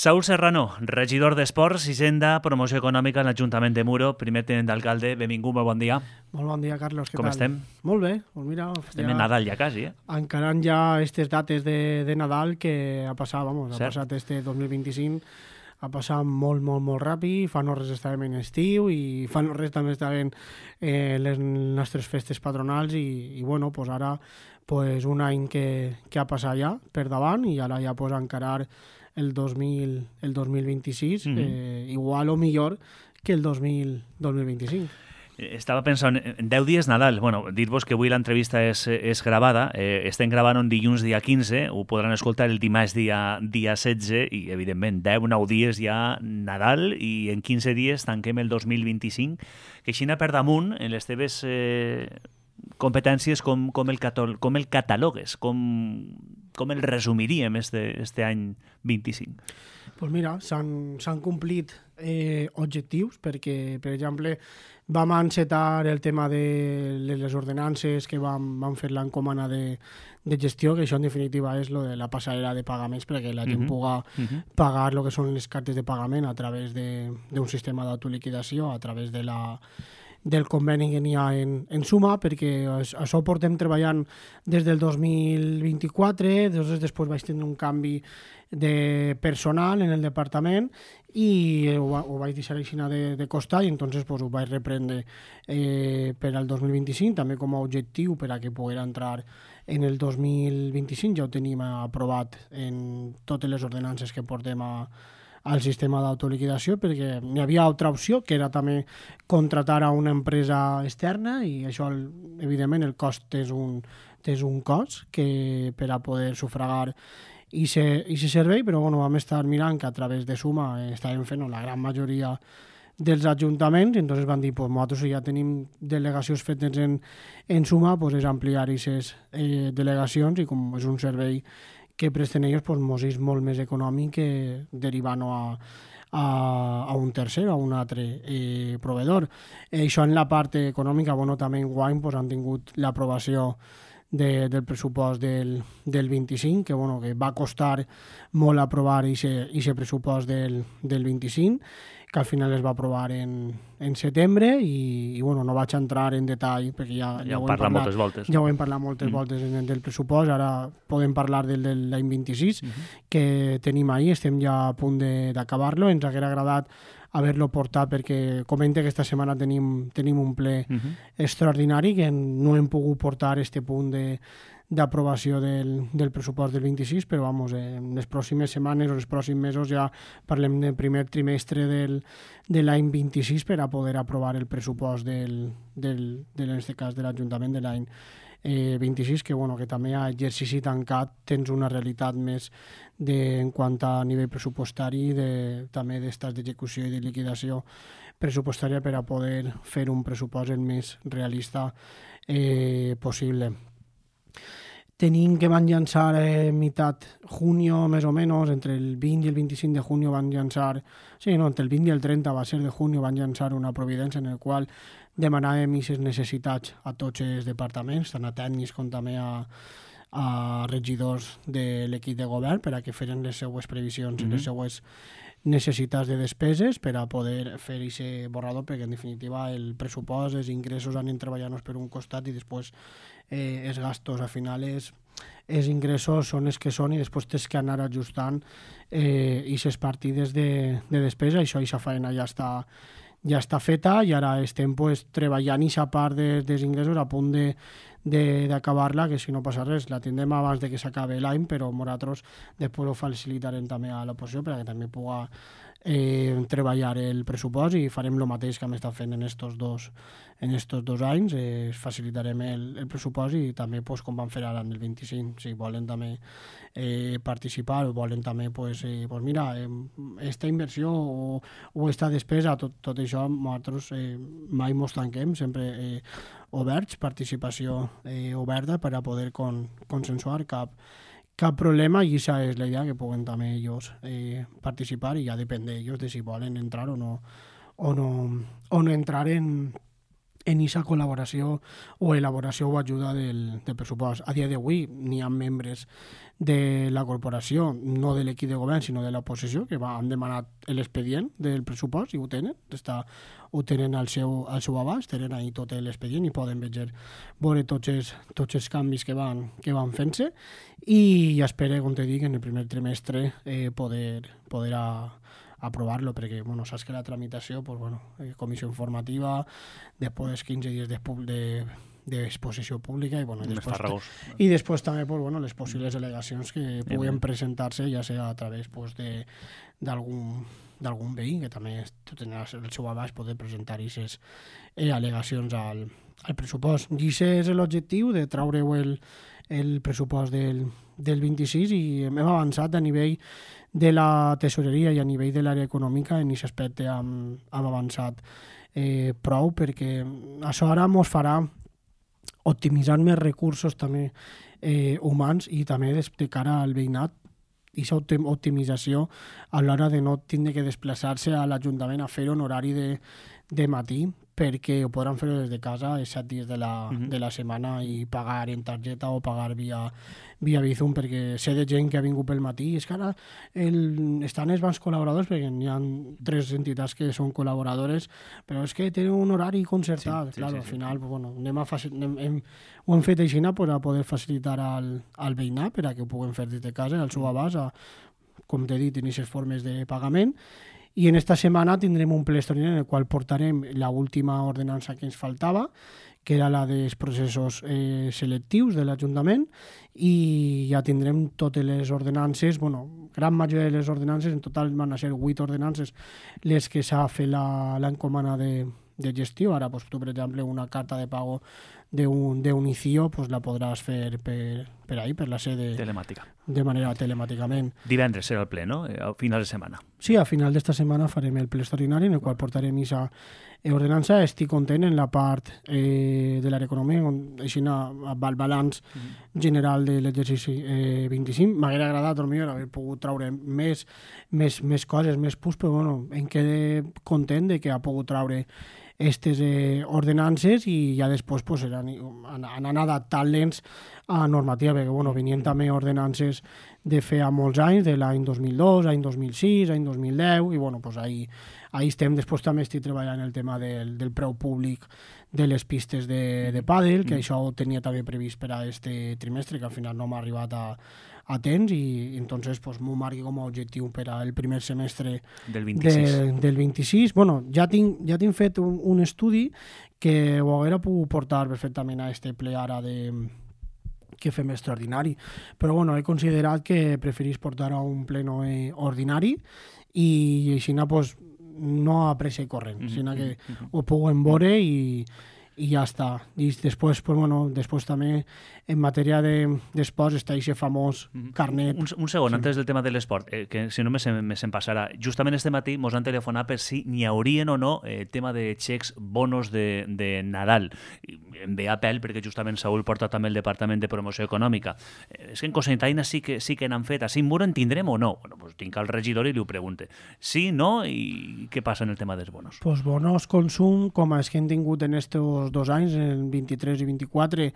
Saúl Serrano, regidor d'Esports, Hisenda, Promoció Econòmica en l'Ajuntament de Muro, primer tinent d'alcalde. Benvingut, molt bon dia. Molt bon dia, Carlos. Què Com tal? estem? Molt bé. Pues mira, Estem en Nadal ja quasi, encarant ja aquestes dates de Nadal que ha passat, ha passat este 2025, ha passat molt, molt, molt ràpid. Fa no res estàvem en estiu i fa no res també estàvem les nostres festes patronals i bueno, pues ara pues un any que ha passat ja per davant i ara ja pues encarar el 2026 igual o millor que el 2025. Estava pensant, en 10 dies Nadal. Bueno, dir-vos que avui l'entrevista és gravada. Estem gravant un dilluns dia 15, ho podran escoltar el dimarts dia 16 i, evidentment, 10-9 dies ja Nadal i en 15 dies tanquem el 2025. Que així per damunt, en les teves competències, com el catalogues, com el resumiríem este any 25? Pues mira, s'han complit objectius perquè, per exemple, vam encetar el tema de les ordenances que vam fer l'encomana de gestió, que això en definitiva és lo de la passarel·la de pagaments perquè la gent pugui pagar el que són les cartes de pagament a través d'un sistema d'autoliquidació, a través del conveni que n'hi ha en Suma, perquè això portem treballant des del 2024, després vaig tenir un canvi de personal en el departament i ho vaig deixar així de costat i entonces pues, ho vaig reprendre per al 2025, també com a objectiu per a que poguera entrar en el 2025. Ja ho tenim aprovat en totes les ordenances que portem al sistema d'autoliquidació, perquè n'hi havia altra opció, que era també contratar a una empresa externa i això, evidentment, el cost és un cost que per a poder sufragar i se servei, però bueno, vam estar mirant que a través de Suma estàvem fent la gran majoria dels ajuntaments i entonces van dir, pues nosaltres ja tenim delegacions fetes en Suma, pues és ampliar aquestes delegacions i com és un servei que presten ells, pues mos és molt més econòmic que derivant-ho a un tercer, a un altre proveedor. Això en la part econòmica, bueno, també enguany pues, han tingut l'aprovació del pressupost del 25, que, bueno, que va costar molt aprovar aquest pressupost del 25, que al final es va aprovar en setembre i bueno, no vaig entrar en detall perquè ja ho hem parlat moltes voltes. Ja ho hem parlat moltes voltes del pressupost, ara podem parlar del l'any 26 que tenim ahir, estem ja a punt d'acabar-lo, ens hauria agradat haver-lo portat perquè comenta que aquesta setmana tenim un ple extraordinari que no hem pogut portar este punt d'aprovació del pressupost del 26, però vamos, en les pròximes setmanes o els pròxims mesos ja parlem del primer trimestre de l'any 26 per a poder aprovar el pressupost en aquest cas de l'Ajuntament de l'any 26, que, bueno, que també a exercici tancat tens una realitat més en quant a nivell pressupostari també d'estats d'execució i de liquidació pressupostària per a poder fer un pressupost el més realista possible. Tenim que van llançar meitat junio, més o menys, entre el 20 i el 25 de junio van llançar, entre el 20 i el 30 va ser de junio, van llançar una providència en el qual demanàvem aquestes necessitats a tots els departaments, tant a tècnics com també a regidors de l'equip de govern per a que feren les seues previsions i les seues necessitats de despeses per a poder fer aquest borrador, perquè en definitiva el pressupost, els ingressos anem treballant-nos per un costat i després els gastos, al final els ingressos són els que són i després tens que anar ajustant aquestes partides de despesa. Aquesta feina ja està feta i ara estem treballant aquesta part dels ingressos a punt d'acabar-la, que si no passa res la tindrem abans de que s'acabi l'any, però nosaltres després ho facilitarem també a l'oposició perquè també pugui treballar el pressupost i farem el mateix que hem estat fent en estos dos anys, facilitarem el pressupost i també com vam fer ara en el 25, si volen també participar o volen també mira, esta inversió o esta despesa, tot això nosaltres mai mos tanquem, sempre oberts, participació oberta per a poder consensuar cap problema i aquesta és la idea, que puguen també ells participar i ja depèn d'ells de si volen entrar o no entrar en en aquesta col·laboració o elaboració o ajuda del pressupost. A dia d'avui n'hi ha membres de la corporació, no de l'equip de govern, sinó de l'oposició, que han demanat l'expedient del pressupost i ho tenen. Ho tenen al seu abast, tenen ahí tot l'expedient i poden veure tots els canvis que van fent-se i espero, com te dic, en el primer trimestre poder aprovar-lo, perquè saps que la tramitació, comissió informativa, després 15 dies d'exposició pública i després també les possibles al·legacions que puguen presentar-se, ja sigui a través d'algun veí, que també tindrà el seu abast poder presentar aquestes al·legacions al pressupost. I aquest és l'objectiu de treure-ho el pressupost del 26 i hem avançat a nivell de la tesoreria i a nivell de l'àrea econòmica. En aquest aspecte hem avançat prou, perquè això ara ens farà optimitzar més recursos també humans i també de cara al veïnat, i aquesta optimització a l'hora de no tindre que desplaçar-se a l'Ajuntament a fer-ho en horari de matí, perquè ho podran fer des de casa els 7 dies de la setmana i pagar en targeta o pagar via Bizum, perquè sé de gent que ha vingut pel matí i és que ara estan els bancs col·laboradors, perquè hi ha 3 entitats que són col·laboradores, però és que tenen un horari concertat. Al final ho hem fet així per a poder facilitar al veïnat per a que ho puguem fer des de casa, al seu abast, com t'he dit, en aquestes formes de pagament. I en esta setmana tindrem un ple extraordinari en el qual portarem l'última ordenança que ens faltava, que era la dels processos selectius de l'Ajuntament, i ja tindrem totes les ordenances, gran majoria de les ordenances, en total van a ser 8 ordenances les que s'ha fet l'encomana de gestió. Ara, tu, per exemple, una carta de pago d'un ICIO la podràs fer per ahí, per la sede telemàtica. De manera telemàticament. Divendres serà el ple, no? A final de setmana. Sí, a final d'esta setmana farem el ple extraordinari en el qual portarem aquesta ordenança. Estic content en la part de l'àrea econòmica, així el balanç general de l'exercici 25. M'hauria agradat haver pogut treure més coses, més punts, però em quedé content de que ha pogut treure aquestes ordenances i ja després anant adaptant-les a normativa, perquè venien també ordenances de fer molts anys, de l'any 2002, any 2006, any 2010, i ahí estem. Després també estic treballant el tema del preu públic de les pistes de pàdel, que això ho tenia també previst per a aquest trimestre, que al final no m'ha arribat a temps, i entonces m'ho marqui com a objectiu per al primer semestre del 26. Del 26. Ja tinc fet un estudi que ho hauria pogut portar perfectament a este ple ara que fem extraordinari, però he considerat que preferís portar a un pleno ordinari i així no a pressa i corrent, sinó que ho puguem veure i ja està. I després, després també en matèria d'esports està aquest famós carnet. Un segon, antes del tema de l'esport, que si no me se'n passarà. Justament este matí mos han telefonat per si n'hi haurien o no tema de xecs, bonos de Nadal. Em ve a pèl perquè justament Saúl porta també el Departament de Promoció Econòmica. És que en Cocentaina sí que n'han fet. Així en mur en tindrem o no? Tinc al regidor i li ho pregunte. Sí, no? I què passa en el tema dels bonos? Bonos consum, com els que hem tingut en estos 2 anys, en 23 i 24,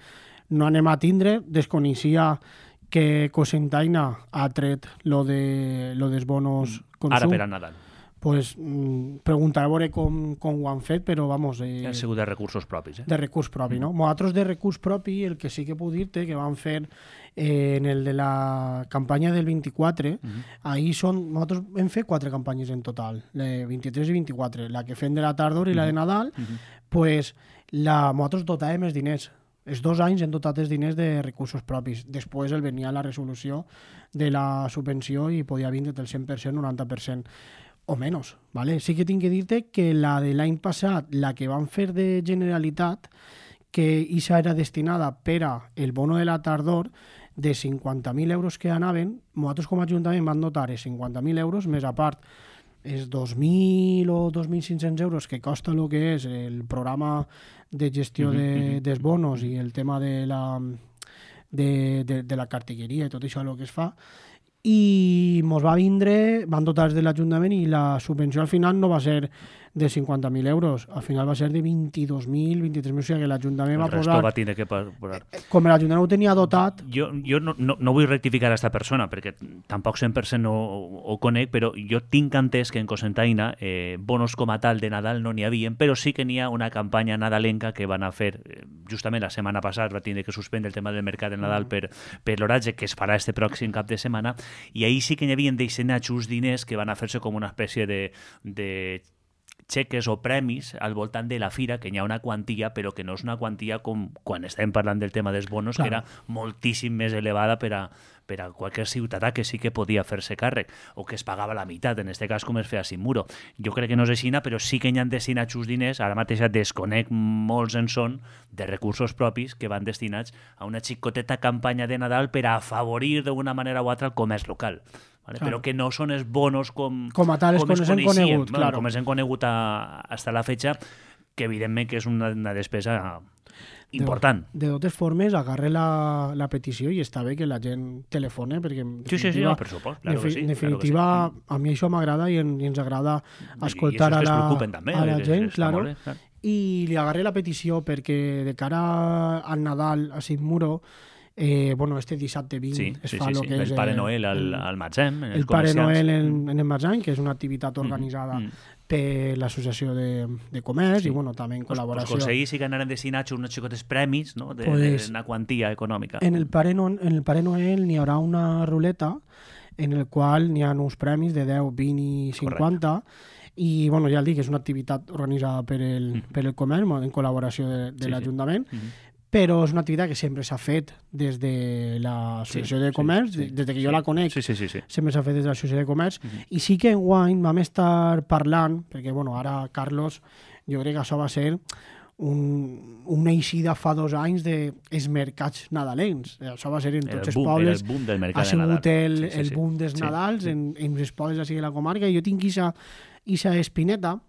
no anem a tindre. Desconeixia que Cocentaina ha tret lo dels bonos consum. Ara per a Nadal. Preguntaré a veure com ho han fet, però vamos... Han sigut de recursos propis, De recurs propi, no? Nosaltres de recurs propi, el que sí que puc dir-te que vam fer en el de la campanya del 24, nosaltres hem fet 4 campanyes en total, 23 i 24, la que fem de la tardor i la de Nadal, nosaltres dotàvem els diners. Els 2 anys hem dotat els diners de recursos propis. Després venia la resolució de la subvenció i podia vindre del 100%, 90%. O menys, ¿vale? Sí que tinc que dir-te que la de l'any passat, la que van fer de Generalitat, que aquesta era destinada per a el bono de la tardor, de 50.000 euros que anaven, nosaltres com a Ajuntament van dotar 50.000 euros, més a part els 2.000 o 2.500 euros que costa el que és el programa de gestió dels bonos i el tema de la cartelleria i tot això el que es fa, i mos va vindre, van dotar de l'Ajuntament i la subvenció al final no va ser de 50.000 euros. Al final va ser de 22.000, 23.000, o sigui que l'Ajuntament va posar... El resto va tindre que posar. Com l'Ajuntament ho tenia dotat... Jo no vull rectificar a esta persona, perquè tampoc 100% ho conec, però jo tinc entès que en Cocentaina bonos com a tal de Nadal no n'hi havia, però sí que n'hi ha una campanya nadalenca que van a fer, justament la setmana passada va tindre que suspendre el tema del mercat de Nadal per l'oratge, que es farà este pròxim cap de setmana, i ahir sí que n'hi havia destinats uns diners que van a fer-se com una espècie de xeques o premis al voltant de la fira, que hi ha una quantia, però que no és una quantia com quan estàvem parlant del tema dels bonos, que era moltíssim més elevada per a qualsevol ciutadà que sí que podia fer-se càrrec, o que es pagava la meitat, en aquest cas com es feia sin muro. Jo crec que no és així, però sí que hi han destinats uns diners, ara mateix desconec molts en són, de recursos propis que van destinats a una xicoteta campanya de Nadal per a afavorir d'una manera o altra el comerç local. Vale? Però que no són els bonos com a tales com es han conegut, claro. Com es han conegut hasta la fecha, que evidentment que és una despesa important. De totes formes, agarre la petició i està bé que la gent telefone, perquè en definitiva, per supost, claro que sí, en definitiva a mi això m'agrada i ens agrada escoltar a la gent, claro. I li agarre la petició perquè de cara al Nadal a Sitmuro, este dissabte 20 es fa el que és el Pare Noel al Matzem, el Pare Noel en el Matzem, que és una activitat organitzada per l'Associació de Comerç i també en col·laboració. Pues ahir sí que anaren destinats uns xicotes premis, no? D'una quantia econòmica. En el Pare Noel n'hi haurà una ruleta en el qual n'hi ha uns premis de 10, 20 i 50. I ja el dic, és una activitat organitzada per el comerç en col·laboració de l'Ajuntament. Però és una activitat que sempre s'ha fet des de l'Associació de Comerç, des que jo la conec, sempre s'ha fet des de l'Associació de Comerç, i sí que enguany vam estar parlant, perquè ara Carlos, jo crec que això va ser una eixida fa 2 anys dels mercats nadalencs. Això va ser en tots els pobles. Ha sigut el boom dels Nadals en els pobles de la comarca, i jo tinc aquesta espineta,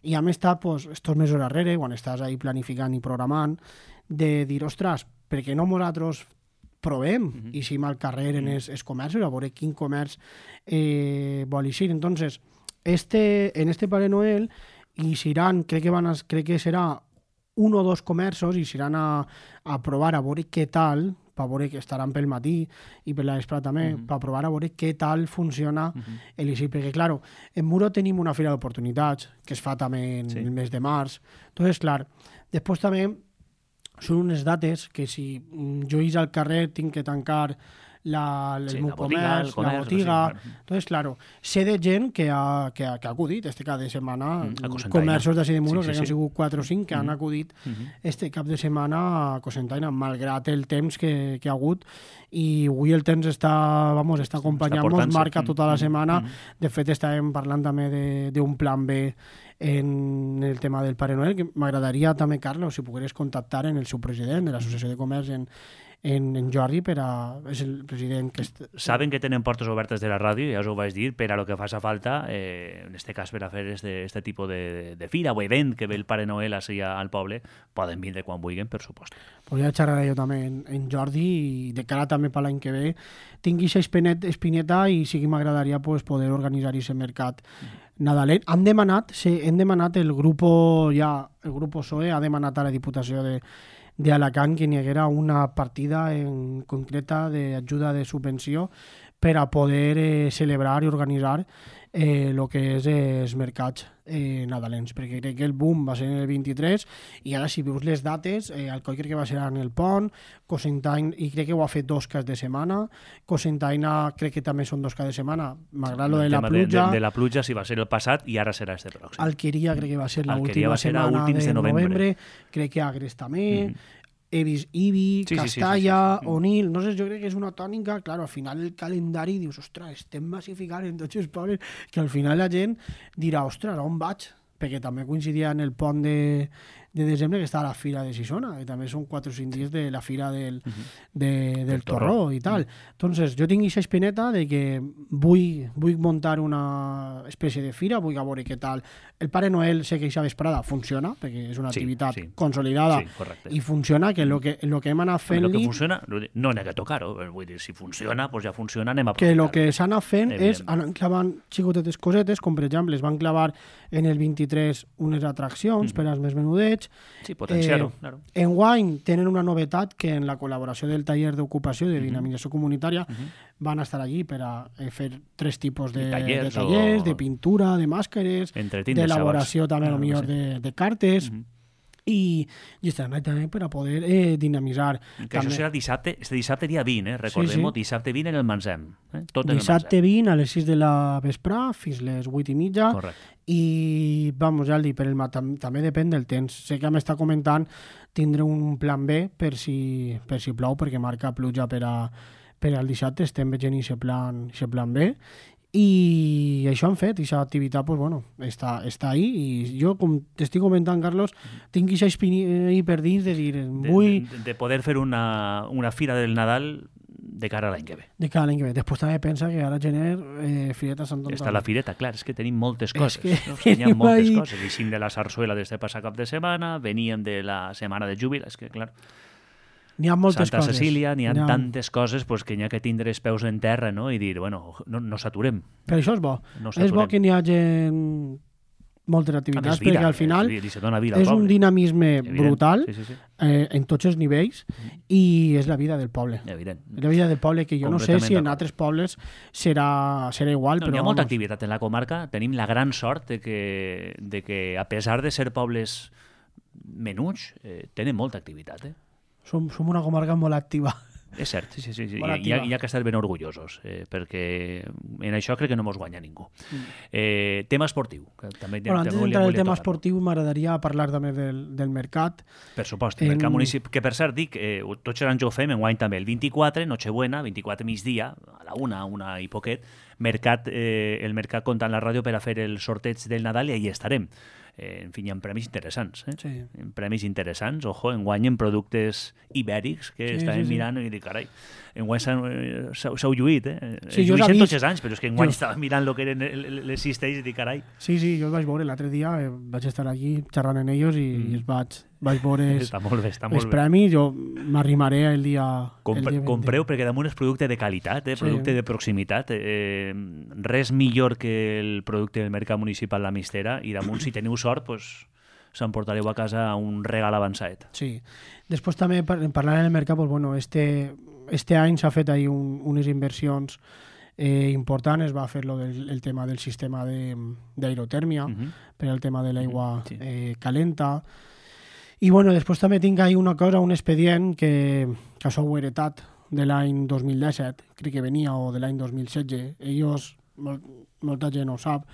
i a més està estos mesos darrere, quan estàs ahí planificant i programant, de dir, ostres, perquè no nosaltres provem i sim al carrer en els comerços, a veure quin comerç vol eixir. Entonces, en este Pare Noel i seran, crec que serà 1 o 2 comerços i seran a provar a veure què tal, per veure que estaran pel matí i per la vesprada també, per provar a veure què tal funciona l'eixir, perquè, clar, en Muro tenim una fira d'oportunitats que es fa també en el mes de març. Entonces, clar, després també són unes dates que si jo eix al carrer tinc que tancar el meu comerç, la botiga. Entonces, claro, sé de gent que ha acudit este cap de setmana, comerços d'ací de Muro, que han sigut 4 o 5 que han acudit este cap de setmana a Cocentaina, malgrat el temps que ha hagut, i avui el temps està acompanyant-nos, marca tota la setmana. De fet, estàvem parlant també d'un plan B en el tema del Pare Noel, que m'agradaria també, Carlos, si pogueres contactar en el seu president de l'Associació de Comerç en Jordi, és el president que... Saben que tenen portes obertes de la ràdio, ja us ho vaig dir, per a lo que faci falta, en este cas per a fer este tipus de fira o event que ve el Pare Noel així al poble, poden vindre quan vulguin, per supost. Pues ja xerraré jo també en Jordi, i de cara també per l'any que ve tingui aquesta espineta i sí que m'agradaria poder organitzar aquest mercat nadalenc. Hem demanat el grup PSOE ha demanat a la Diputació d'Alacant que n'hi haguera una partida en concreta d'ajuda de subvenció per a poder celebrar i organitzar el que és els mercats nadalencs, perquè crec que el boom va ser en el 23 i ara si veus les dates, Alcoi crec que va ser en el Pont, Cocentaina, i crec que ho ha fet 2 caps de setmana, Cocentaina crec que també són 2 caps de setmana, malgrat lo de la pluja. De la pluja sí va ser el passat i ara serà este pròxim. Alqueria crec que va ser l'última setmana de novembre, crec que Agres també, he vist Ibi, Castalla, Onil, no sé, jo crec que és una tònica, clar, al final el calendari dius, ostres, estem massificant en tots els pobles, que al final la gent dirà, ostres, on vaig? Perquè també coincidia en el pont de desembre, que està a la Fira de Sisona, que també són 4 o 5 dies de la Fira del Torró i tal. Entonces, jo tinc aquesta espineta de que vull muntar una espècie de fira, vull veure què tal. El Pare Noel, sé que aquesta vesprada funciona, perquè és una activitat consolidada i funciona, que el que hem anat fent-li... El que funciona, no n'hi ha que tocar-ho, vull dir, si funciona, doncs ja funciona, anem a aprofitar. Que el que s'ha anat fent és anar clavant xicotetes cosetes, com per exemple es van clavar en el 23 unes atraccions per als més menudets. Sí, potenciar-ho, claro. Enguany tenen una novetat que en la col·laboració del taller d'ocupació de dinamització comunitària van estar allí per a fer 3 tipus de tallers, de pintura, de màscares, d'elaboració també millor de cartes, i estaran també per a poder dinamitzar. Que això serà dissabte, este dissabte dia 20, recordem-ho, dissabte 20 en el Mansem. Dissabte 20 a les 6 de la vesprà fins les 8:30. Correcte. I, vamos, ja el dic, també depèn del temps. Sé que m'està comentant tindre un plan B per si plou, perquè marca pluja per al dissabte, estem veient aquest plan B. I això han fet, aquesta activitat pues, bueno, està ahí, i jo, com t'estic comentant, Carlos, tinc aquesta espina per dins de dir... De poder fer una fira del Nadal de cara a l'any que ve. De cara a l'any que ve. Després també pensa que ara gener, Fireta Sant Antoni. Està la fireta, clar, és que tenim moltes coses. Hi ha moltes coses. Eixim de la sarsuela d'este passat cap de setmana, veníem de la setmana de júbil, és que, clar... N'hi ha moltes Santa Cecília, n'hi ha tantes coses pues, que n'hi ha que tindre els peus en terra, no? I dir, bueno, no s'aturem. Però això és bo. És bo que n'hi hagi moltes activitats, perquè al final és un dinamisme brutal en tots els nivells i és la vida del poble. Evident. És la vida del poble, que jo no sé si en altres pobles serà igual. N'hi ha molta activitat en la comarca. Tenim la gran sort de que a pesar de ser pobles menuts, tenen molta activitat, Som una comarca molt activa. És cert, sí. Hi ha que estar ben orgullosos, perquè en això crec que no mos guanya ningú. Tema esportiu. Antes d'entrar en el tema esportiu, m'agradaria parlar també del mercat. Per supost, el mercat municipal, que per cert dic, tots els anys ho fem, enguany també, el 24, Nochebuena, 24 migdia, a la una i poquet, el mercat compta en la ràdio per a fer el sorteig del Nadal i allà estarem. En fi, hi ha premis interessants. Sí. Premis interessants, enguany en productes ibèrics, que estàvem mirant i dic, carai, enguany s'heu lluït, Sí, jo lluït tots els anys, però és que enguany estava mirant el que eren les cistells i dic, carai. Sí, jo els vaig veure l'altre dia, vaig estar aquí xerrant amb ells i els vaig veure els premis, jo m'arrimaré el dia... Compreu, perquè damunt és producte de qualitat, producte de proximitat, res millor que el producte del mercat municipal La Mistera, i damunt, si teniu sort, s'emportareu a casa un regal avançat. Sí. Després també, parlant del mercat, este any s'ha fet ahí unes inversions important, es va fer el tema del sistema d'aerotèrmia, per al tema de l'aigua calenta. I després també tinc ahí una cosa, un expedient que això ho he heretat de l'any 2017, crec que venia, o de l'any 2016. Ells, molta gent ho sap,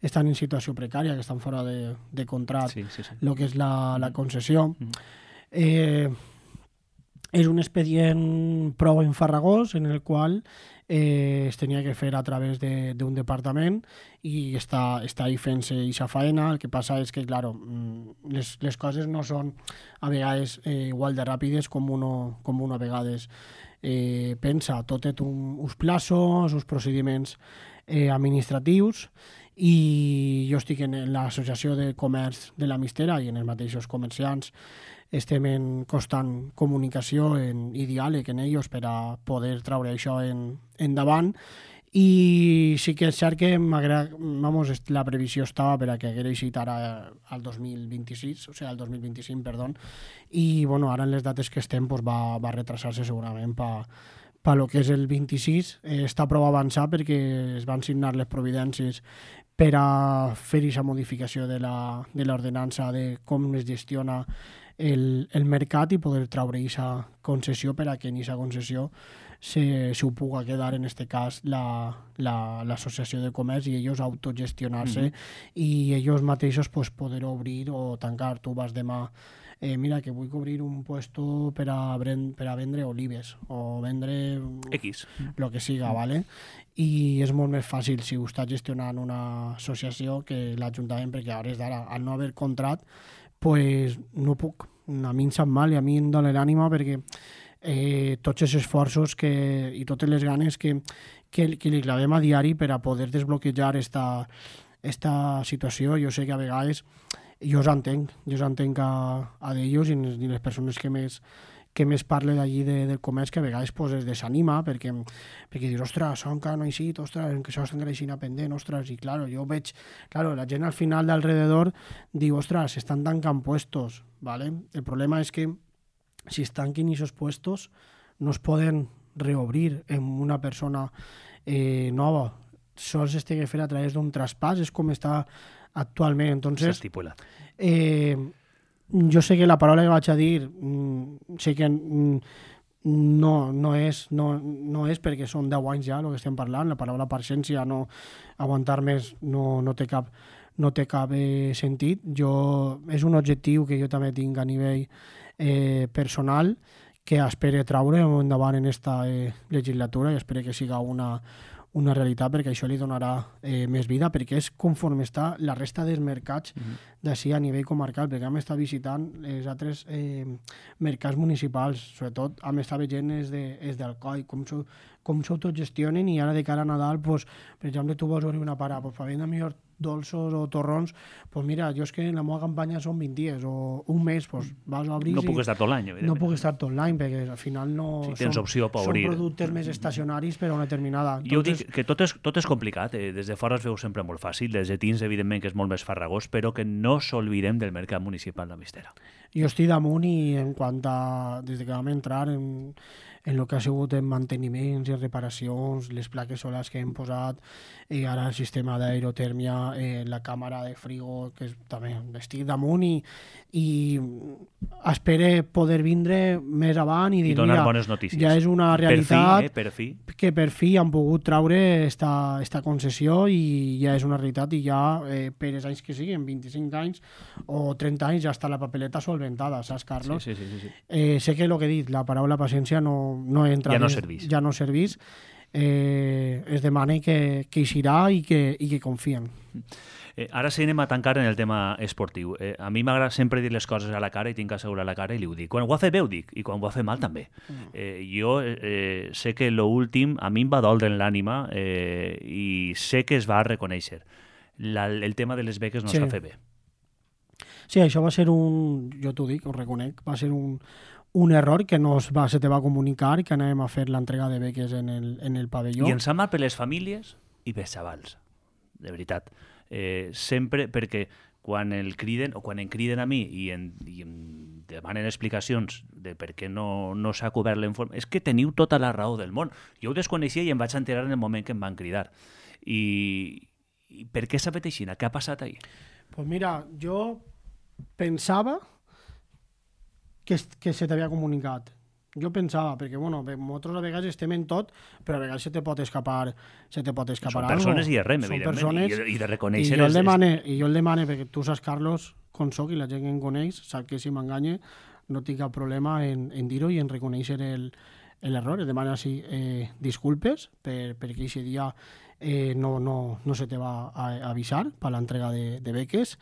estan en situació precària, que estan fora de contracte, el que és la concessió. És un expedient prou enfarragós en el qual es tenia que fer a través d'un departament i està ahí fent-se aquesta faena. El que passa és que, clar, les coses no són a vegades igual de ràpides com uno a vegades pensa. Tot té uns plaços, uns procediments administratius, i jo estic en l'associació de comerç de la Mistera i en els mateixos comerciants estem en constant comunicació i diàleg en ells per a poder traure això endavant. I sí que és cert que la previsió estava per a que hagués eixit ara al 2026, o sigui, al 2025, perdó, i ara en les dates que estem va retrasar-se segurament per lo que és el 26. Està prou avançat perquè es van signar les providències per a fer aquesta modificació de l'ordenança de com es gestiona el mercat i poder traure aquesta concessió per a que en aquesta concessió s'ho puga quedar, en aquest cas, l'associació de comerç, i ells autogestionar-se i ells mateixos poder obrir o tancar. Tu vas demà, mira, que vull obrir un puesto per a vendre olives o vendre X, el que siga, ¿vale? I és molt més fàcil si ho està gestionant una associació que l'Ajuntament, perquè a hores d'ara, al no haver contrat, pues no puc. A mi em sap mal i a mi em dóna l'ànima perquè tots els esforços i totes les ganes que li clavem a diari per a poder desbloquejar esta situació. Jo sé que a vegades jo us entenc a d'ells i les persones que més parle d'allí del comerç, que a vegades pues, es desanima perquè dius, ostres, som que no he eixit, ostres, que això estan creixint pendent, ostres, i claro, jo veig, la gent al final d'alrededor diu, ostres, estan tancant puestos, ¿vale? El problema és que si es tanquen esos puestos no es poden reobrir amb una persona nova, sols es té que fer a través d'un traspàs, és com està actualment. Entonces, jo sé que la paraula que vaig a dir sé que no és perquè són 10 anys ja el que estem parlant, la paraula paciència, no aguantar més no té cap sentit. És un objectiu que jo també tinc a nivell personal que espero traure endavant en esta legislatura i espero que siga una realitat, perquè això li donarà més vida, perquè és conforme està la resta dels mercats d'ací a nivell comarcal, perquè hem estat visitant els altres mercats municipals, sobretot hem estat veient els d'Alcoi, com s'autogestionen, i ara de cara a Nadal, pues, per exemple, tu vols obrir una parada, pues, per vendre millor dolços o torrons, pues mira, jo és que la meva campanya són 20 dies o un mes, pues vas a obrir... No puc estar tot l'any, evidentment. No puc estar tot l'any, perquè al final no... Si tens opció per obrir. Són productes més estacionaris per a una determinada... Jo dic que tot és complicat, des de fora es veu sempre molt fàcil, des de dins, evidentment, que és molt més farragós, però que no s'oblidem del mercat municipal de Mistera. Jo estic damunt i en quant a... Des que vam entrar en el que ha sigut en manteniments i reparacions, les plaques solars que hem posat, ara el sistema d'aerotèrmia, la càmera de frigo, que també estic damunt i espero poder vindre més avant i dir, donar mira, bones notícies. Ja és una realitat que per fi han pogut traure esta concessió i ja és una realitat i ja per els anys que siguin, 25 anys o 30 anys, ja està la papeleta solventada, saps, Carlos? Sí. Sé que el que he dit, la paraula paciència no entra... Ja no servís. Es demana que hi serà i que confien. Ara sí anem a tancar en el tema esportiu. A mi m'agrada sempre dir les coses a la cara i tinc que assegurar la cara i li ho dic. Quan ho ha fet bé ho dic i quan ho ha fet mal també. Jo sé que l'últim a mi em va doldre en l'ànima i sé que es va reconèixer. El tema de les beques no s'ha fet bé. Sí, això va ser jo t'ho dic, ho reconec, va ser un error que se te va comunicar que anàvem a fer l'entrega de beques en el pavelló. I ens sap mal per les famílies i pels xavals, de veritat. Sempre perquè quan em criden a mi i em demanen explicacions de per què no s'ha cobert l'informe, és que teniu tota la raó del món. Jo ho desconeixia i em vaig enterar en el moment que em van cridar. I per què s'ha fet així? Què ha passat ahir? Pues mira, jo pensava que se t'havia comunicat. Jo pensava, perquè nosaltres a vegades estem en tot, però a vegades se te pot escapar Són persones i res, evidentment, i de reconèixer... I jo el demane, perquè tu saps, Carlos, com soc i la gent que em coneix, sap que si m'enganya no tinc cap problema en dir-ho i en reconèixer l'error. Et demana disculpes perquè aquest dia no se te va avisar per l'entrega de beques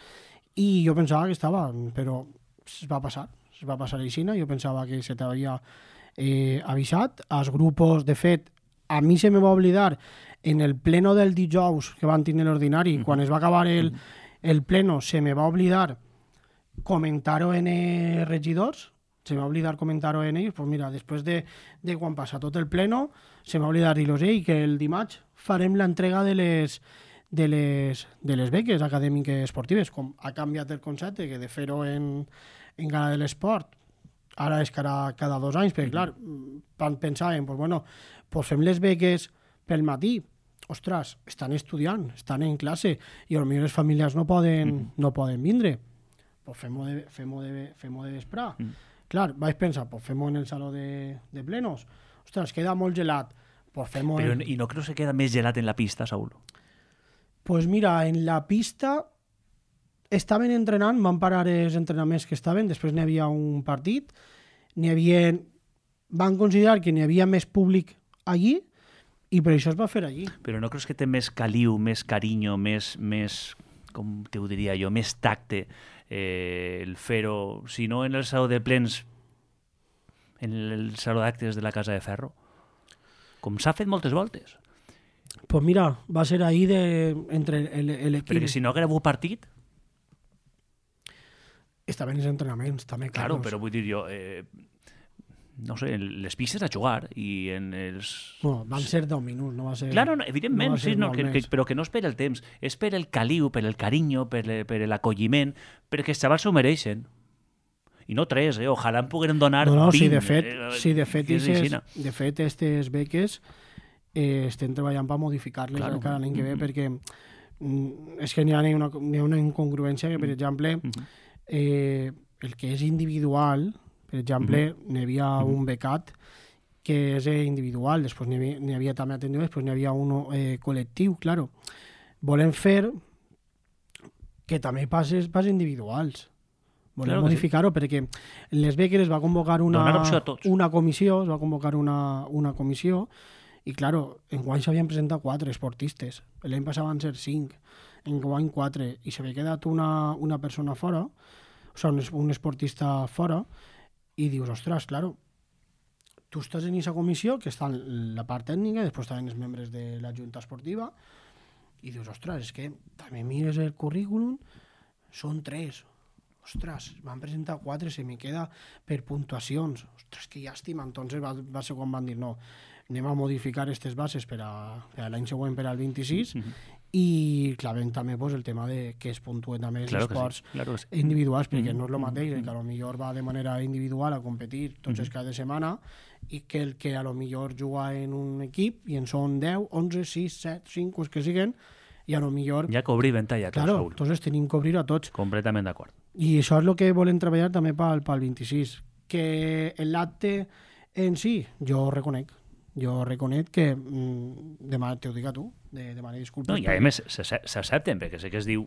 i jo pensava que estava, però es va passar així, jo pensava que se t'havia avisat. Els grupos, de fet, a mi se me va oblidar en el pleno del dijous que van tenir l'ordinari, quan es va acabar el pleno, se me va oblidar comentar-ho en els regidors, se m'ha oblidat comentar-ho en ells, pues mira, després de quan passa tot el pleno, se m'ha oblidat dir-los que el dimarts farem l'entrega de les beques acadèmiques esportives, com ha canviat el concepte, que de fer-ho en Gala de l'Esport ara és cada 2 anys, perquè clar, pensàvem, pues fem les beques pel matí, ostres, estan estudiant, estan en classe i potser les famílies no poden vindre, pues fem-ho de vespre. Clar, vaig pensar, pues fem-ho en el saló de plenos, ostres, queda molt gelat, pues fem-ho... I no creus que queda més gelat en la pista, Saúl? Pues mira, en la pista estaven entrenant, van parar els entrenaments que estaven, després n'hi havia un partit, van considerar que n'hi havia més públic allí i per això es va fer allí. Però no creus que té més caliu, més carinyo, més com t'ho diria jo, més tacte el fer-ho, si no en el saló de plens, en el saló d'actes de la Casa de Ferro, com s'ha fet moltes voltes. Pues mira, va ser ahí entre l'equip. Perquè si no haguera hagut partit... Estaven els entrenaments, també, Claro, Carlos. però vull dir jo... no sé, les pistes a jugar i en els... Bueno, van ser 10 minuts, no va ser... Claro, no, evidentment, no va ser sí, no, molt que, més. però que no és per el temps, és per el caliu, per el carinyo, per l'acolliment, perquè els xavals s'ho mereixen. I no 3, ojalà en pogueren donar 20. No, sí, de fet, aquestes beques estem treballant per modificar-les encara l'any que ve, perquè és que n'hi ha una incongruència que, per exemple, el que és individual, per exemple, n'hi havia un becat que és individual, després n'hi havia també atendido, després n'hi havia un col·lectiu, claro. Volem fer que també passes individuals. Volem modificar-ho perquè en les beques es va convocar una comissió, i, claro, enguany s'havien presentat 4 esportistes. L'any passat van ser 5, enguany 4, i s'havia quedat una persona fora, o sigui, un esportista fora, i dius, ostres, claro, tu estàs en aquesta comissió, que està en la part tècnica, després estan els membres de la Junta Esportiva, i dius, ostres, és que també mires el currículum, són 3, ostres, van presentar 4, se me queda per puntuacions, ostres, que llàstima. Entonces va ser quan van dir, no, anem a modificar aquestes bases per a l'any següent, per al 26, i clavem també el tema de que es puntuen també els esports individuals, perquè no és el mateix, que a lo millor va de manera individual a competir tots els cada setmana, i que el que a lo millor juga en un equip i en són 10, 11, 6, 7, 5, els que siguen, i a lo millor... Ja que obrir ventalla, claro, entonces tenim que obrir a tots. Completament d'acord. I això és el que volem treballar també pel 26. Que l'acte en si, jo reconec que demà t'ho dic a tu, demana disculpes. No, i a més s'accepten, perquè sé que es diu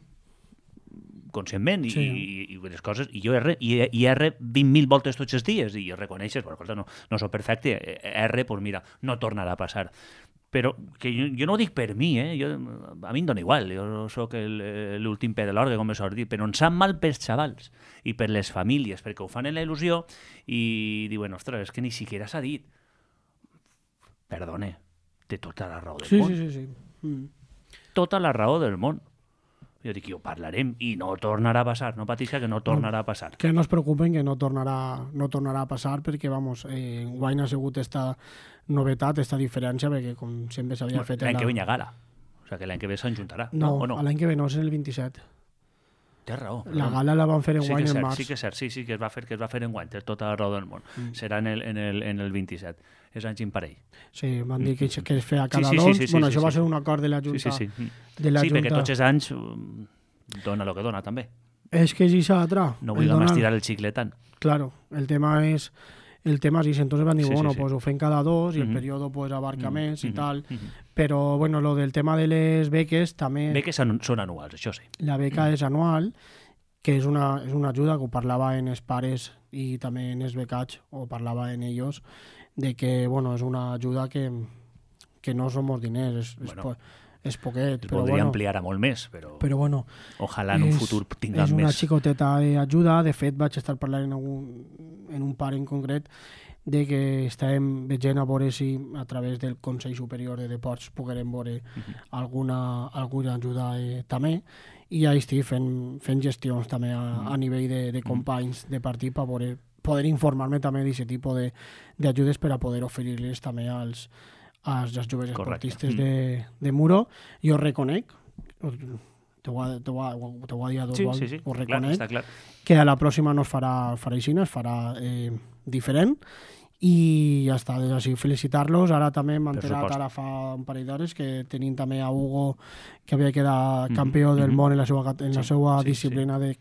conscientment i les coses, i jo R 20.000 voltes tots els dies, i jo reconeixes, però no soc perfecte, R, doncs mira, no tornarà a passar. Però que jo no ho dic per mi, a mi em dona igual, jo sóc l'últim pe de l'orgue, com me sort dir, però em sap mal pels xavals i per les famílies, perquè ho fan en la il·lusió i diuen, ostres, és que ni siquiera s'ha dit. Perdone, té tota la raó del món. Sí. Tota la raó del món. Jo dic, ho parlarem i no tornarà a passar, no patisca que no tornarà a passar. Que no es preocupen que no tornarà a passar, perquè, vamos, guany ha sigut esta novetat, esta diferència, perquè com sempre s'havia fet... L'any que ve hi ha gala, o sigui que l'any que ve s'enjuntarà. No, l'any que ve no, és el 27. Té raó. La gala la van fer en guany en març. Sí que és cert, sí que es va fer en guany, té tota la raó del món. Serà en el 27. És anys imparell. Sí, van dir que es feia cada dos. Bueno, això va ser un acord de la Junta. Sí, perquè tots els anys dona el que dona, també. És que és això altra. No vulguem estirar el xicle tant. Claro, el tema és entonces van dir, bueno, pues ho fem cada dos i el període pues abarca més i tal, però bueno, lo del tema de les beques també... Beques són anuals, això sí. La beca és anual, que és una ajuda que ho parlava en els pares i també en els becats, ho parlava en ells, de que, bueno, és una ajuda que no som molts diners, és poquet, però podria ampliar a molt més, però bueno, ojalà en un futur tinguem més. És una xicoteta ajuda. De fet, vaig estar parlant en un pare en concret de que estàvem veient a veure si a través del Consell Superior de Deports poguérem veure alguna ajuda també, i ja estic fent gestions també a nivell de companys de partit per poder informar-me també d'aquest tipus d'ajudes per a poder oferir-les també als joves esportistes de Muro. Jo reconec, t'ho va dir a dos vols, ho reconec, que a la pròxima no es farà així, es farà diferent, i ja està, així felicitar-los. Ara també m'he enterat ara fa un parell d'hores que tenim també a Hugo, que havia quedat campió del món en la seva disciplina de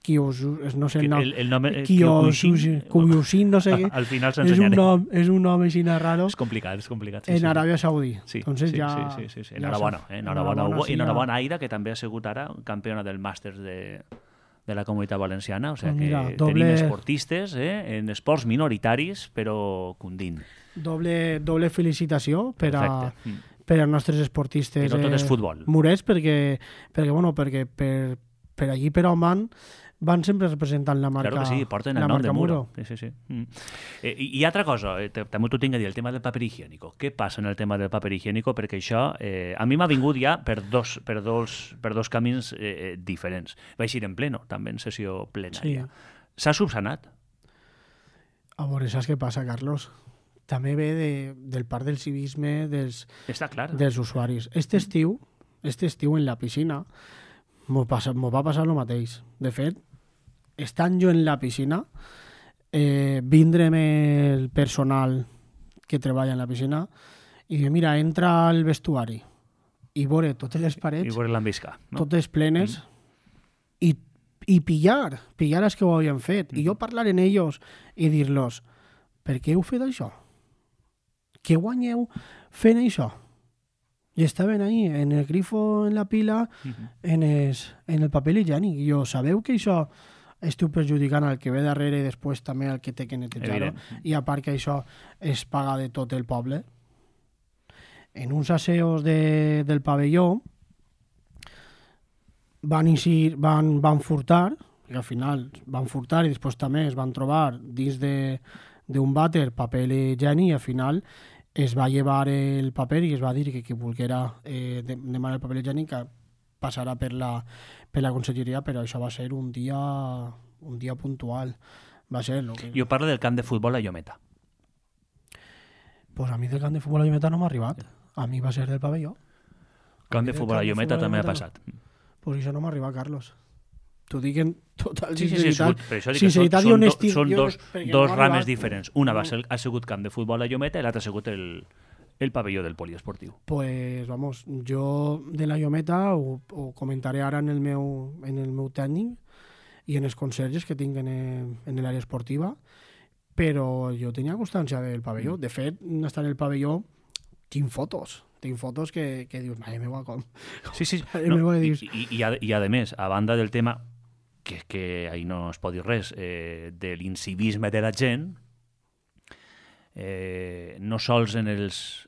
no sé el nom, Kyushin, no sé què. Al final s'ensenyaré. És un nom així raro. És complicat. En Aràbia Saudí. Sí. Enhorabona, Hugo, i enhorabona Aida, que també ha sigut ara campiona del màsters de la Comunitat Valenciana, o sigui que tenim esportistes en esports minoritaris, però cundint. Doble felicitació per per als nostres esportistes I no tot és futbol. murets, perquè per allí, per Oman, van sempre representant la marca. Claro que sí, porten el nom de Muro. Sí. I altra cosa, també t'ho tinc a dir, el tema del paper higiénico. Què passa en el tema del paper higiénico? Perquè això a mi m'ha vingut ja per dos camins diferents. Vaig ir en pleno, també en sessió plenària. S'ha subsanat? A veure, saps què passa, Carlos? També ve del part del civisme dels usuaris. Este estiu, en la piscina, m'ho va passar el mateix. De fet, estant jo en la piscina, vindre'm el personal que treballa en la piscina i dir, mira, entra al vestuari i veure totes les parets, totes plenes, i pillar els que ho havien fet. I jo parlar en ells i dir-los, per què heu fet això? Què guanyeu fent això? I estaven ahí, en el grifo, en la pila, en el paper higiènic. I jo, sabeu que això esteu perjudicant al que ve darrere i després també al que té que netejar-ho? I a part que això es paga de tot el poble. En uns asseos del pavelló van furtar, i al final van furtar i després també es van trobar dins d'un vàter paper higiènic i al final es va llevar el paper i es va dir que qui volguera demanar el paper higiènic passarà per la conselleria, però això va ser un dia puntual. Va ser Jo parlo del camp de futbol a Llometa. Pues a mi del camp de futbol a Llometa no m'ha arribat. A mi va ser del pavelló. Camp de futbol a Llometa també ha passat. Pues això no m'ha arribat, Carlos. T'ho dic en total sinceritat i honestia. Són dos rames diferents. Una ha sigut camp de futbol a Llometa i l'altra ha sigut el pavelló del poliesportiu. Pues, vamos, jo de la Llometa ho comentaré ara en el meu tècnic i en els conserges que tinc en l'àrea esportiva, però jo tenia constància del pavelló. De fet, estar en el pavelló tinc fotos que dius, mare meva, com? Sí. I a més, a banda del tema que ahí no es pot dir res, de l'incivisme de la gent, no sols en els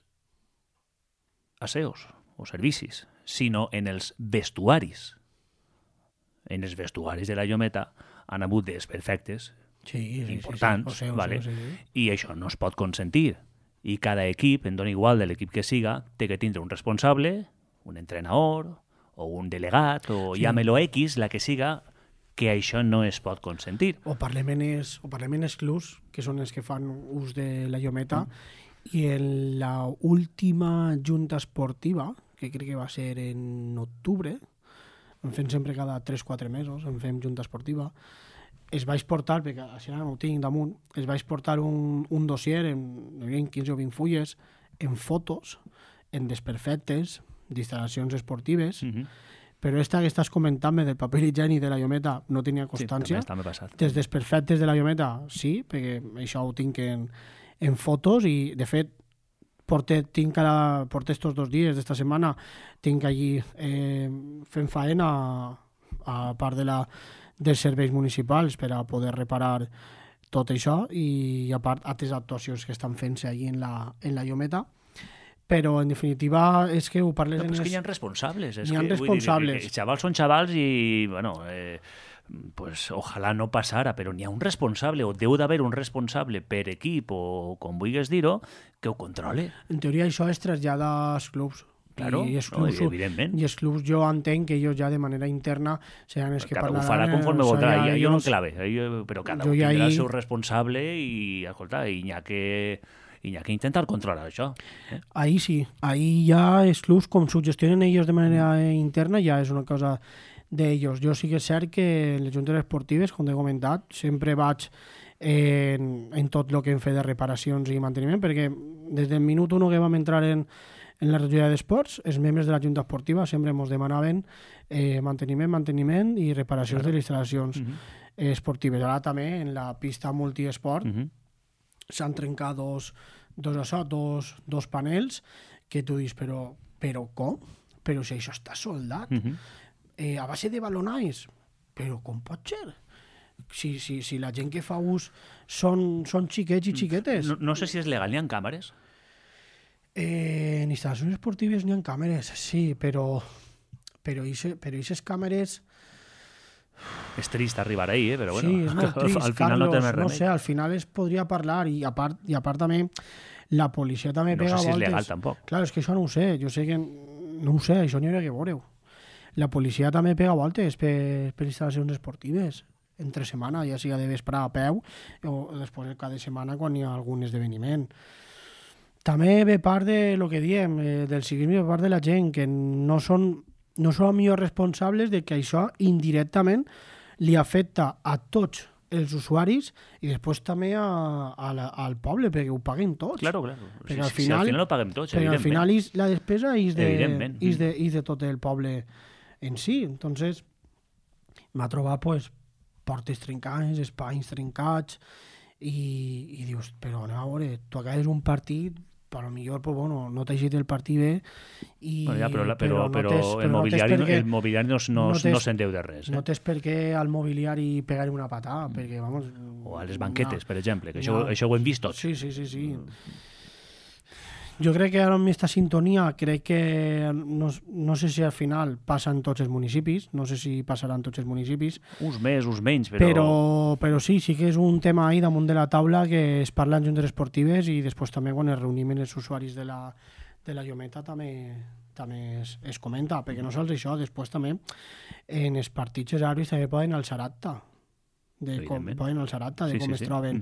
aseos o servicis, sinó en els vestuaris. En els vestuaris de la Llometa han hagut desperfectes importants, i això no es pot consentir. I cada equip, en dona igual de l'equip que siga, té que tindre un responsable, un entrenador, o un delegat, o llámelo X, la que siga, que això no es pot consentir. O parlem en els clubs, que són els que fan ús de la Llometa, i en la última junta esportiva, que crec que va ser en octubre, en fem sempre cada 3-4 mesos, en fem junta esportiva, es vaig portar, perquè així no ho tinc damunt, es vaig portar un dossier en 15 o 20 fulles, en fotos, en desperfectes, d'instal·lacions esportives, però esta que estàs comentant-me del paper higiènic de la Llometa no tenia constància. Sí, també passat. Dels desperfectes de la Llometa, sí, perquè això ho tinc en fotos i, de fet, porté estos 2 dies d'esta setmana, tinc allí fent faena a part dels serveis municipals per a poder reparar tot això i a part altres actuacions que estan fent-se allí en la Llometa, però en definitiva és que ho parles... No, però és que hi ha responsables. Hi ha responsables. Els xavals són xavals i, bueno, pues ojalà no passara, però n'hi ha un responsable, o deu d'haver un responsable per equip, o com vulguis dir-ho, que ho controle. En teoria això es trasllada als clubs. Claro, evidentment. I els clubs jo entenc que ells ja de manera interna seran els que parlaran... Ho farà conforme voldrà, jo no enclave, però cada un tindrà el seu responsable i, escolta, hi ha que intentar controlar això. Ahí sí, ahí ja els clubs, com s'ho gestionen ells de manera interna, ja és una cosa d'ells. Jo sí que és cert que en les juntes esportives, com he comentat, sempre vaig en tot el que hem fet de reparacions i manteniment, perquè des del minut 1 que vam entrar en la regió d'esports, els membres de la Junta Esportiva sempre ens demanaven manteniment i reparacions de les instal·lacions esportives. Ara també en la pista multiesport s'han trencat dos panels que tu dius, però com? Però si això està soldat a base de balonais, però com pot ser? Si la gent que fa ús són xiquets i xiquetes. No sé si és legal, n'hi ha càmeres? En instal·lacions esportives n'hi ha càmeres, sí, però aquestes càmeres... És trist arribar ahí, però bueno, sí, és molt trist, al final Carlos, no té més remei. No sé, al final es podria parlar i a part també la policia també No pega sé si és voltes. legal tampoc. Clar, és que això no ho sé, jo sé que no ho sé, això n'hi hauria que veure-ho. La policia també pega voltes per instal·lacions esportives entre setmana, ja sigui de vespre a peu o després cada setmana quan hi ha algun esdeveniment. També ve part de lo que diem, del ciclisme, ve part de la gent que no són millor responsables de que això indirectament li afecta a tots els usuaris i després també al poble, perquè ho paguen tots. Claro. Perquè al final ho paguem tots, perquè evidentment. al final la despesa és Evidentment. de tot el poble en si. Entonces, m'ha trobat pues, portes trencades, espais trencats i dius, però anem a veure, tu acabes un partit, però millor pues, bueno, no t'hagi el partit bé i, bueno, ja, però el mobiliari no se'n deu de res. No tens per què al mobiliari pegar una patada, perquè, vamos... O a les banquetes, per exemple, que això ho hem vist tots. Sí. Jo crec que ara amb aquesta sintonia crec que no sé si al final passa en tots els municipis, no sé si passarà en tots els municipis. Uns més, uns menys, però sí que és un tema ahí damunt de la taula que es parla en juntes esportives i després també quan es reunim els usuaris de la Llometa també es comenta, perquè no sols això, després també en els partits els àrbits també poden alçar acta de com es troben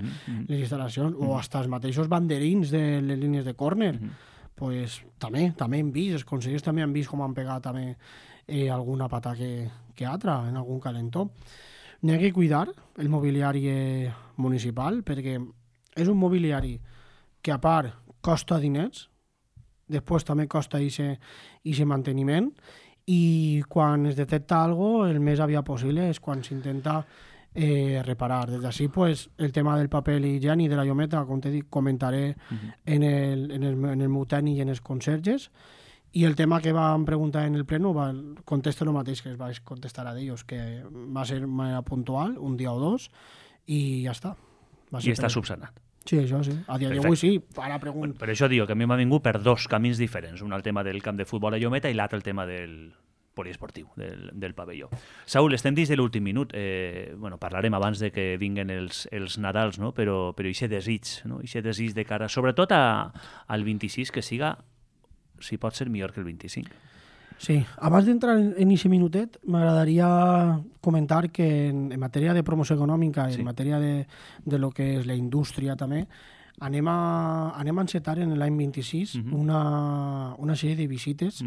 les instal·lacions o hasta els mateixos banderins de les línies de córner. Pues, també hem vist, els consellers també han vist com han pegat també alguna pata que altra en algun calentó. N'hi ha que cuidar el mobiliari municipal perquè és un mobiliari que a part costa diners, després també costa aquest manteniment i quan es detecta alguna cosa el més aviat possible és quan s'intenta reparar. Des d'ací, pues, el tema del paper higiènic de la Llometa, com t'he dit, comentaré en el meu tècnic i en els conserges. I el tema que vam preguntar en el pleno, contesto el mateix que es vaig contestar a ells, que va ser de manera puntual, un dia o dos, i ja està. I està subsanat. Sí, això sí. A dia d'avui sí. Ara pregunto. Per això dic que a mi m'ha vingut per dos camins diferents. Un el tema del camp de futbol a Llometa i l'altre el tema del poliesportiu, del pavelló. Saúl, estem dins de l'últim minut. Parlarem abans de que vinguen els Nadals, no? Però aquest desig, no? Aquest desig de cara, sobretot al 26, que siga, si pot ser, millor que el 25. Sí, abans d'entrar en aquest minutet, m'agradaria comentar que en matèria de promoció econòmica, en matèria de lo que és la indústria també, anem a encetar en l'any 26 una sèrie de visites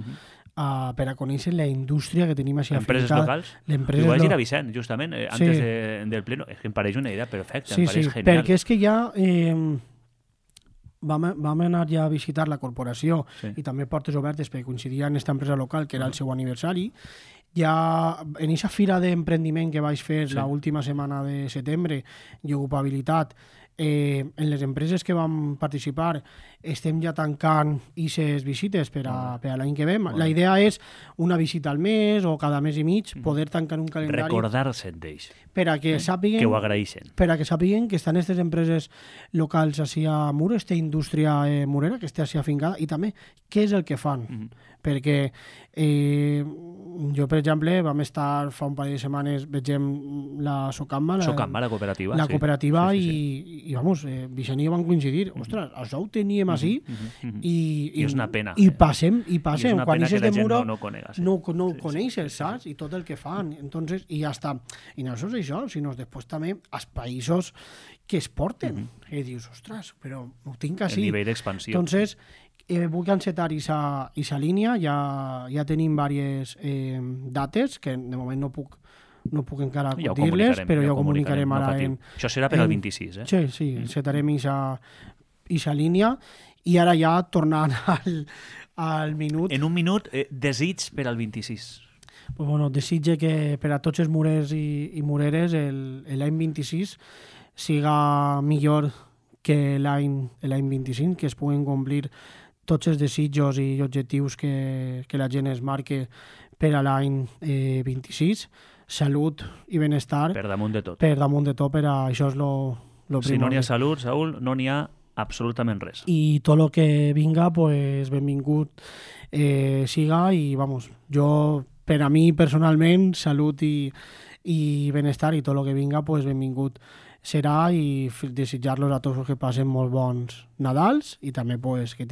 per a conèixer la indústria que tenim així empreses locals. Jo vaig ir a Vicent, justament, antes del pleno. És que em pareix una idea perfecta, em pareix genial. Perquè és que ja vam anar ja a visitar la corporació i també Portes Obertes perquè coincidia en aquesta empresa local, que era el seu aniversari. Ja en aquesta fira d'emprendiment que vaig fer l'última setmana de setembre i ocupabilitat, en les empreses que vam participar estem ja tancant aquestes visites per a l'any que ve. La idea és una visita al mes o cada mes i mig poder tancar un calendari. Recordar-se d'ells. Per a que sàpiguen que ho agraeixen. Per a que sàpiguen que estan aquestes empreses locals així a Muro, aquesta indústria murera que està així afincada, i també què és el que fan. Perquè jo, per exemple, vam estar fa un parell de setmanes, vegem la Socamba, la cooperativa. La cooperativa i vamos, Vicent i jo vam coincidir. Ostres, això ho teníem així i és una pena. I passem. Quan eixes de Muro no ho coneixes, saps? I tot el que fan. Entonces, i ja està. I no sols això, sinó després també als països que es porten. I dius, ostres, però ho tinc així. El nivell d'expansió. Entonces, vull encetar aquesta línia, ja tenim diverses dates, que de moment no puc encara dir-les, però ja ho comunicarem ara. Això serà per al 26, eh? Sí, encetarem aquesta línia, i ara ja tornant al minut... En un minut, desig per al 26. Pues bueno, desitge que per a tots els murers i mureres l'any 26 siga millor que l'any 25, que es puguen complir tots els desitjos i objectius que la gent es marque per a l'any 26. Salut i benestar. Per damunt de tot. Per damunt de tot, per a això és lo primordial. Si no n'hi ha salut, Saúl, no n'hi ha absolutament res. I tot el que vinga, pues, benvingut siga, i vamos, jo, per a mi personalment, salut i benestar, i tot el que vinga, pues, benvingut serà, i desitjar-los a tots que passen molt bons Nadals, i també pues, que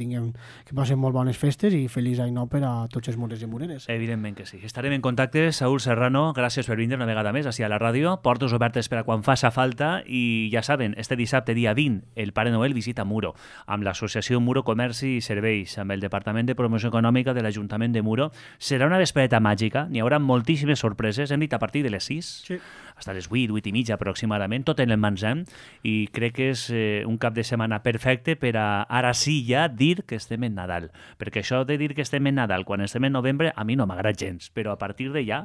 passen molt bones festes, i feliç any nou per a tots els murers i mureres. Evidentment que sí. Estarem en contacte. Saúl Serrano, gràcies per vindre una vegada més així a la ràdio. Portes obertes per a quan faça falta, i ja saben, este dissabte, dia 20, el Pare Noel visita Muro, amb l'associació Muro Comerci i Serveis, amb el Departament de Promoció Econòmica de l'Ajuntament de Muro. Serà una vespreta màgica, n'hi haurà moltíssimes sorpreses, hem dit a partir de les 6, sí, fins a les 8, 8 i mitja aproximadament, tot en el magatzem, i crec que és un cap de setmana perfecte per a ara sí ja dir que estem en Nadal, perquè això de dir que estem en Nadal quan estem en novembre a mi no m'agrada gens, però a partir de ja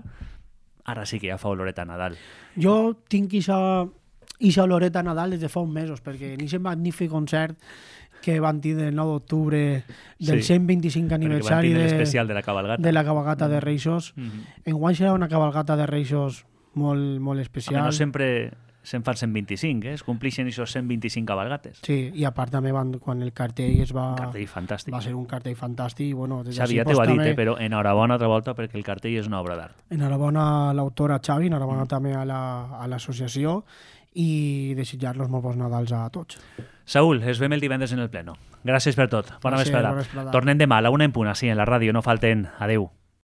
ara sí que ja fa oloreta a Nadal. Jo tinc ixa oloreta a Nadal des de fa uns mesos, perquè en aquest magnífic concert que van tindre el 9 d'octubre del 125 aniversari l'especial de la cabalgata de Reixos. Enguany serà una cabalgata de Reixos molt, molt especial. No sempre se'n fan 125, es complixen aquests 125 cabalgates. Sí, i a part també quan el cartell Un cartell fantàstic. Va ser un cartell fantàstic. Bueno, Xavi ja t'ho ha dit, però enhorabona altra volta perquè el cartell és una obra d'art. Enhorabona a l'autora Xavi, enhorabona també a l'associació, i desitjar-los molt bons Nadals a tots. Saúl, es vem el divendres en el pleno. Gràcies per tot. Bona vesprada. Bona vesprada. Tornem demà a la 1 en punt, així, en la ràdio. No falten. Adeu.